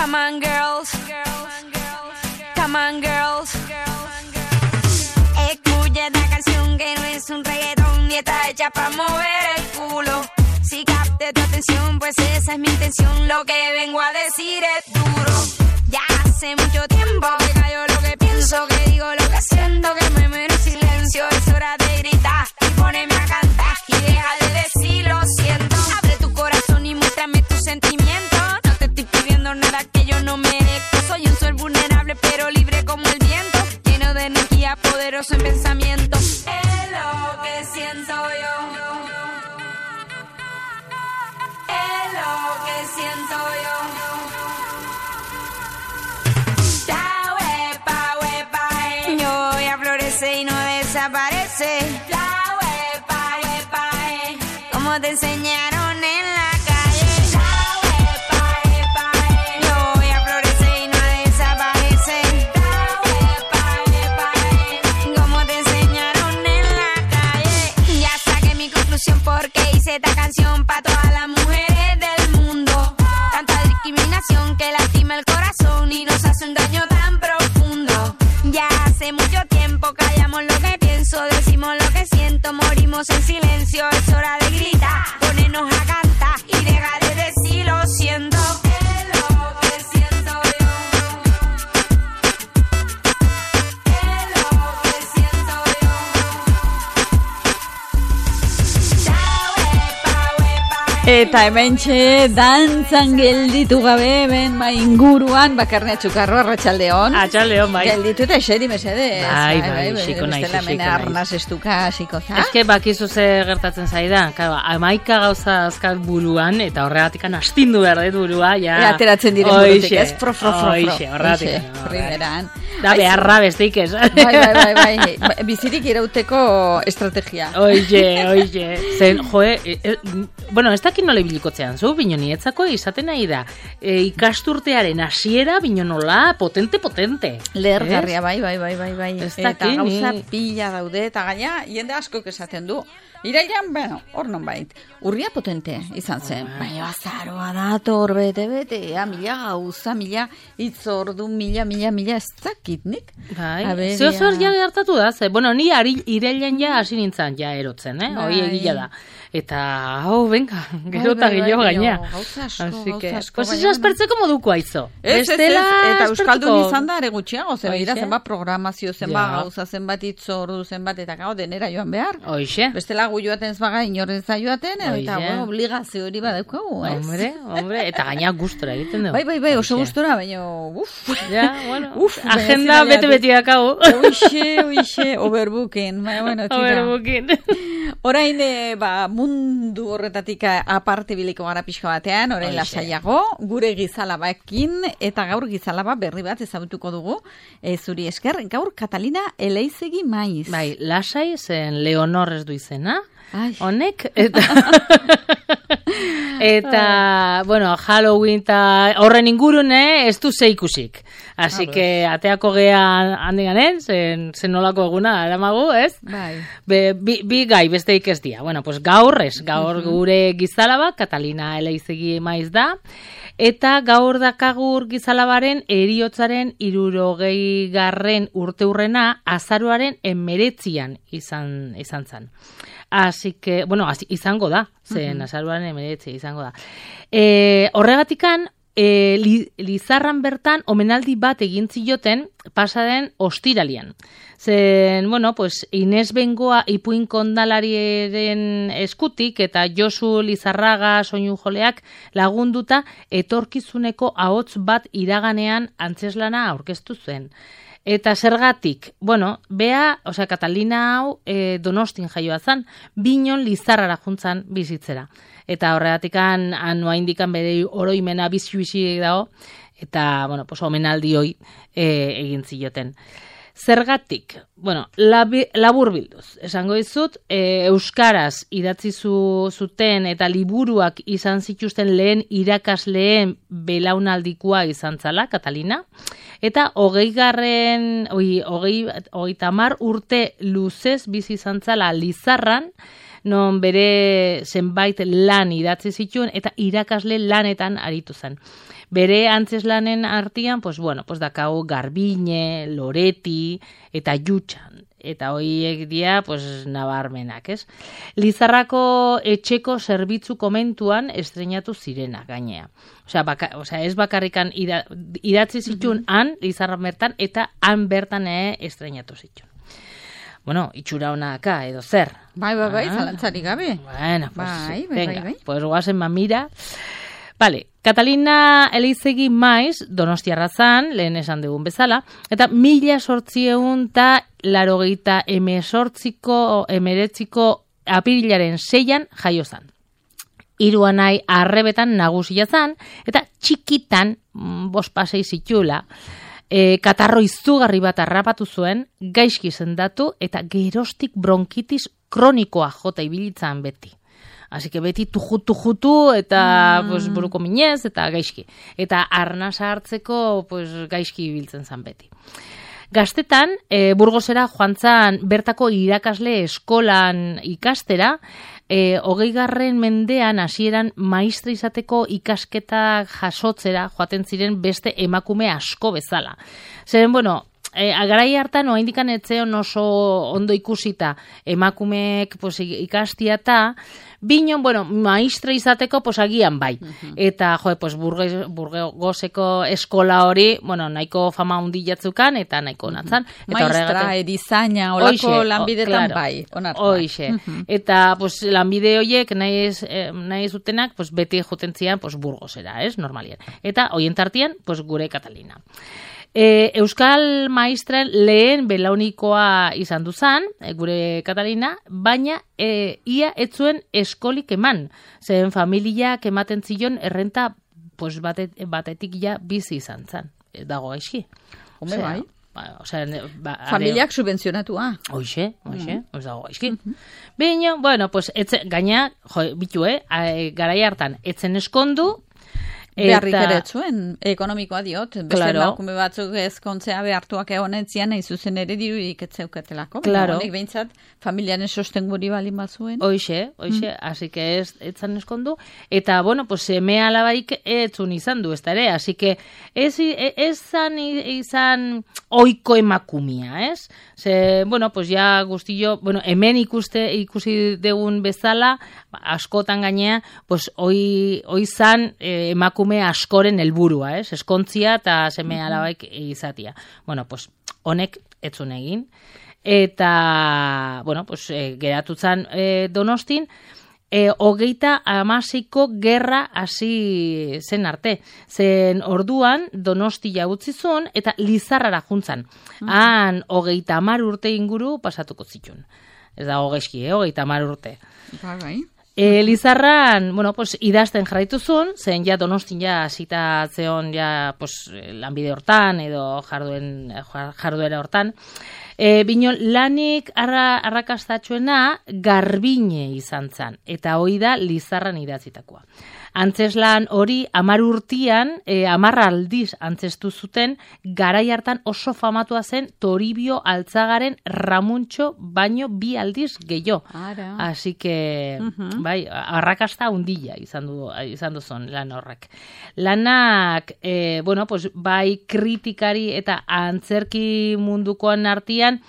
Come on, girls. Come on, girls. Escucha esta canción que no es un reggaetón y está hecha para mover el culo. Si capte tu atención, pues esa es mi intención. Lo que vengo a decir es duro. Ya hace mucho tiempo que callo lo que pienso, que digo lo que siento, que me muero en silencio. Es hora de gritar y ponerme a cantar y deja de decir lo siento. Abre tu corazón y muéstrame tus sentimientos. No te estoy pidiendo nada que yo no merezco. Soy un sol vulnerable pero libre como el viento, lleno de energía, poderoso en pensamiento. Es lo que siento yo. Es lo que siento yo. La huepa, yo ya florece y no desaparece. La huepa, como te enseñaron en la calle. La huepa, yo ya florece y no desaparece. La huepa, como te enseñaron en la calle. Ya saqué mi conclusión porque hice esta canción pa' todas las mujeres del mundo. Tanta discriminación que lastima el corazón y nos hace un daño tan profundo. Ya hace mucho tiempo callamos lo que pienso, decimos lo que siento, morimos en silencio. Es hora de gritar, ponernos a cantar y dejar de decir lo siento. Es lo que siento yo. Es lo que siento yo. Eta hementxe dantzan gelditu gabe ben inguruan bakarne atxukarro arratsaldeon. Atxaldeon, bai. Gelditu eta eseri mesedez. Bai, xiko naiz, bestela mena arnaz estuka hasiko za. Eske bakizu ze gertatzen zaidan. Claro, 11 gauza azkat buruan eta horregatikan astindu behar dut burua, ja. Ateratzen diren burutik, ez? Fro. Oixe, horregatik. Primeran. Da beharra besteik ez. Bai. Bizirik irauteko estrategia. Oixe. Zen, bueno, ez dakit nola ibilikotzean zu, bino nietzako izaten nahi da. Ikasturtearen hasiera bino nola potente. Lehergarria, bai. Eta gauza ni. pila daude, eta gaina, jende askok esaten du. Irailan, bueno, hor non bait. Urria potente izan zen. Baina azaroa dator, bete, mila gauza, mila itzordu, mila, ez dakitnik. Bai, zeozor ja gertatu da, ze, bueno, ni irailan ja hasi nintzen ja erotzen, hoi egila da. Eta, venga, gero eta gehiago gaina. Gauza asko. Pues ez aspertzeko moduko aizo. Eta euskaldun izan da ere gutxiago, zenbat programazio, zenbat gauza, zenbat itzordu, zenbat, eta gau denera joan behar. Hoxe. Bestela gu joaten ez baga inorren zaioaten, eta obligazio hori badaukagu, ez? Hombre, eta gaina gustora egiten dugu. Bai, oso gustora, baina, Ja, bueno, agenda bete dakago. Oixe, overbooking. Overbooking. Orain, mundu horretatik aparte biliko gara pixka batean, orain lasaiago, gure gizalabaekin, eta gaur gizalaba berri bat ezagutuko dugu, zuri esker, gaur Catalina Eleizegi Maiz. Bai, lasai zen Leonor ez du izena, honek, eta, bueno, Halloween eta horren ingurun ez du zeikusik. Así que ateako gean handiganen, zen nolako eguna eramagu, ez? Bai. Bi gai besteik ez dia. Bueno, pues gaur gure gizalaba, Catalina Eleizegi Maiz da, eta gaur dakagur gizalabaren heriotzaren 60. urteurrena azaroaren 19 izan zen. Así que, bueno, izango da, zen azaroaren 19 izango da. Horregatikan, Lizarran bertan omenaldi bat egin zioten pasaden ostiralian. Zen, bueno, pues Inés Bengoa ipuin kondalariaren eskutik eta Josu Lizarraga soinujoleak lagunduta etorkizuneko ahots bat iraganean antzeslana aurkeztu zen. Eta zergatik, bueno, Catalina hau Donostin jaioa zen, Binon Lizarrara juntzan bizitzera. Eta horregatikan anua indikan bere oroimena bizi dago, eta, bueno, pues omenaldi hoi egin zioten. Zergatik, bueno, labur bilduz, esango dizut, euskaraz idatzi zuten eta liburuak izan zituzten lehen irakasleen belaunaldikoa izan zala, Catalina, eta 30 urte luzez bizi izan zala Lizarran, non bere zenbait lan idatzi zituen eta irakasle lanetan aritu zen. Bere antzeslanen artean, pues bueno, pues dakau Garbine, Loreti eta Jutxan. Eta horiek dira, pues, nabarmenak, ez? Lizarrako etxeko zerbitzu komentuan estrenatu zirena, gainea. Osea, ez bakarrikan idatzi zituen han, Lizarra bertan, eta han bertan estrenatu zituen. Bueno, itxura honaka, edo zer. Bai, zalantzarik gabe. Bueno, pues, venga, pues guazen mamira. Vale, Catalina Elizegi Maiz, Donostiarra zan, lehen esan dugun bezala, eta 1889ko apirilaren 6an jaio zan. 3 anai arrebetan nagusia zan, eta txikitan, 5 pasei zitula, katarro izugarri bat harrapatu zuen, gaizki sendatu, eta gerostik bronkitis kronikoa jota ibilitzan beti. Así que beti tujutu eta pues, buruko minez eta gaizki. Eta arnasa hartzeko pues, gaizki ibiltzen zan beti. Gaztetan, Burgosera joan zan bertako irakasle eskolan ikastera, 20. mendean hasieran maistra izateko ikasketak jasotzera joaten ziren beste emakume asko bezala. Zeren, bueno, garai hartan oraindikan etzeon oso ondo ikusita emakumeek pues, ikastia eta binon, bueno, maistra izateko pues, agian bai. Eta, pues, Burgoseko eskola hori, bueno, nahiko fama hundi jatzukan, eta nahiko onatzan. Maistra, erizaina, olako lanbidetan bai, onartua. Hoixe. Eta, pues, lanbide horiek nahi zutenak, pues, beti joten zian, pues, Burgosera, ez, normalien. Eta, hoien tartian, pues, gure Catalina. Euskal maistren lehen belaunikoa izan duzan, gure Catalina, baina ia etzuen eskolik eman. Zen familiak ematen zion errenta pues, batetik ja bizi izan zan. Dago gaizki. Home bai. Familiak subvenzionatua. Hoxe, ez dago gaizki. Baina, bueno, pues, gaina, garai hartan, etzen eskondu, beharrik ere zuen, ekonomikoa diot, beste emakume batzuk ezkontzea behartuak egonetzian, nahi zuzen ere dirurik etzeuketelako. Claro. Honek behintzat, familiaren sostenguri balin bazuen. Hoxe, así que etzan eskondu. Eta, bueno, pues, seme alabaik etzun izan du, ez da ere, así que ez izan oiko emakumia, ez? Ze, bueno, pues, ja guztillo, bueno, hemen ikusi degun bezala, askotan gainea, pues, hoi zan emakume askoren helburua, ez? Eskontzia eta seme alabaik izatia. Bueno, pues, honek etzun egin. Eta, bueno, pues, geratu zan Donostin, 36ko gerra hasi zen arte. Zen orduan Donostia utzi zuen eta Lizarrara juntzan. Han 30 urte inguru pasatuko zituen. Ez da gaizki, 30 urte. Bai. Lizarran, bueno, pues, idazten jarraitu zuen, zen ja Donostin ja hasita zeon ja, pues, lanbide hortan edo jarduera hortan. Bino lanik arrakastatxuena Garbine izan zan, eta hoi da Lizarran idatzitakoa. Antzeslan hori 10 urtean, 10 aldiz antzestu zuten, garai hartan oso famatua zen Toribio Altzagaren Ramuntxo baino 2 aldiz gehiago. Así que, bai, arrakasta hundilla izan duzun lan horrek. Lanak, bueno, pues, bai kritikari eta antzerki mundukoan artean,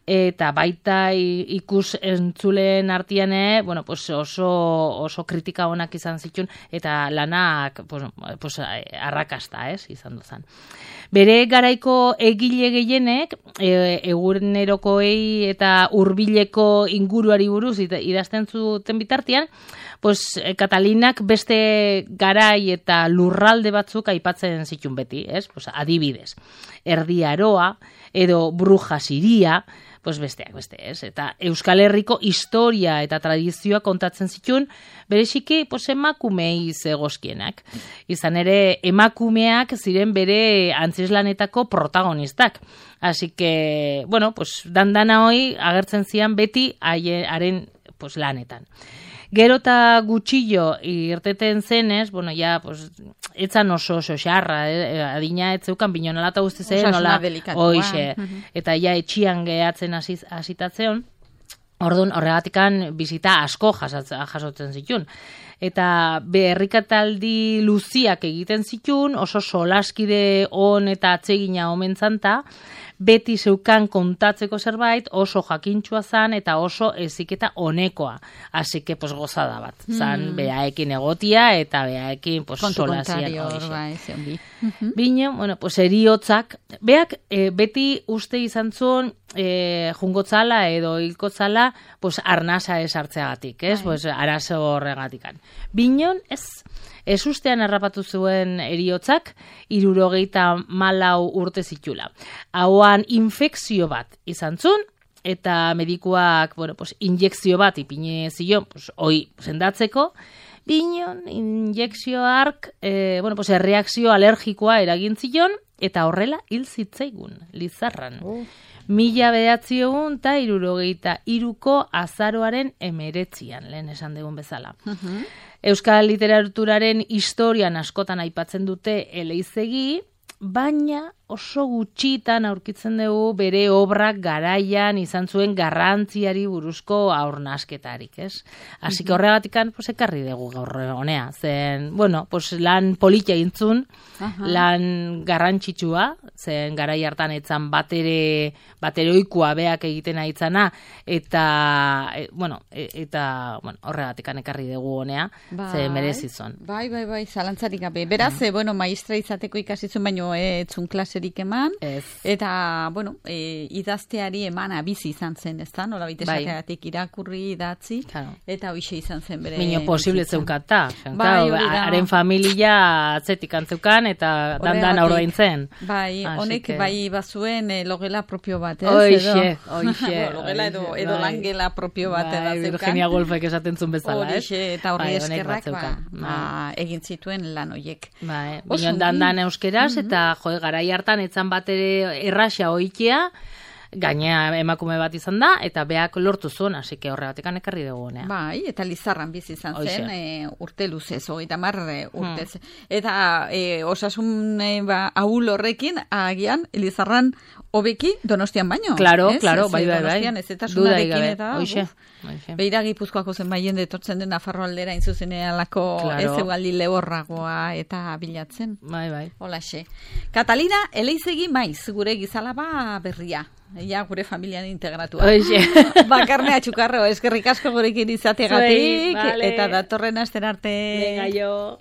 eta baita ikus entzuleen artean, bueno, pues oso kritika onak izan zituen, eta lanak pues, arrakasta, izan duzan. Bere garaiko egile gehienek, egunerokoei eta hurbileko inguruari buruz idazten zuten bitartean, pues, Catalinak beste garai eta lurralde batzuk aipatzen zituen beti, pues, adibidez. Erdi Aroa, edo Bruja Siria, pues beste, eta Euskal Herriko historia eta tradizioa kontatzen zituen, bereziki pues, emakumei zegozkienak. Izan ere, emakumeak ziren bere antzeslanetako protagonistak. Así que, bueno, pues, dandana hoi agertzen zian beti haren pues, lanetan. Gero eta gutxillo irteten zenez, bueno, ja, pues, etzan oso xarra, adina etzeukan binonala eta guzti zen, nola, hoixe, eta ja etxian gehatzen hasitatzeon, Orduan, horregatikan bizita asko jasotzen zitun. Eta berrikataldi luziak egiten zitun, oso solaskide on eta atsegina omen zanta, beti zeukan kontatzeko zerbait, oso jakintxua zan eta oso eziketa onekoa. Así que, pues, gozada bat. Zan, beaekin egotia eta beaekin, pues, solasian hori. Bine, bueno, pues, eriotzak, beak beti uste izan zuen jungotzala edo hilkotzala, pues, arnasa esartzeagatik, ez? Pues, arazo horregatikan. Binon, ez ustean errapatu zuen eriotzak, 74 urte zitula. Hauan infekzio bat izan zuen, eta medikuak, bueno, pues, injekzio bat ipine zion, pues, hoi sendatzeko, binon, injekzio hark, bueno, pues, erreakzio alergikoa eragin zion, eta horrela hil zitzaigun, Lizarran. 1963ko azaroaren 19, lehen esan dugun bezala. Euskal literaturaren historian askotan aipatzen dute Eleizegi, baina oso gutxitan aurkitzen dugu bere obrak garaian izan zuen garrantziari buruzko aurnasketarik, ez? Así que horregatikan, pues, ekarri dugu gaur honea. Zen, bueno, pues, lan politia intzun, lan garrantzitsua, zen garai hartan etzan batere oikua beak egiten aitzana, eta, bueno, horregatikan ekarri dugu honea, zen merezizon. Bai, zalantzarik gabe. Beraz, bueno, maistra izateko ikasitzen, baino etzun klaserik eman, eta, bueno, idazteari eman abizi izan zen, ez da? Nola baita esateagatik irakurri, idatzi, eta hoxe izan zen bere. Mino posible zeukata. Haren familia atzetik antzeukan, eta dandan aurdaintzen. Bai, honek bai bazuen logela propio bat, ez? Hoxe. Logela edo langela propio bat zeukan. Virginia Woolfek esaten zuen bezala, ez? Eta horri eskerrak, egin zituen lan hoiek. Binon dandan euskeraz, eta garai hartan etzan bat ere erraxa oikia, gainea emakume bat izan da, eta beak lortu zuen, hasi que horregatekan ekarri dugu honea. Bai, eta Lizarran bizi izan zen, urte luzez, 30 urtez. Eta osasun ahul horrekin, agian, Lizarran hobeki Donostian baino. Claro, bai. Donostian ez eta sundarekin eta... Beira Gipuzkoako zen baien detortzen den Nafarro aldera inzuzenealako ez egualdi lehorragoa eta bilatzen. Bai. Holaxe. Catalina Eleizegi maiz, gure gizalaba berria. Ja, gure familian integratua. Bakarnea txukarro, eskerrik asko gurekin izategatik, eta datorren aster arte. Venga, jo.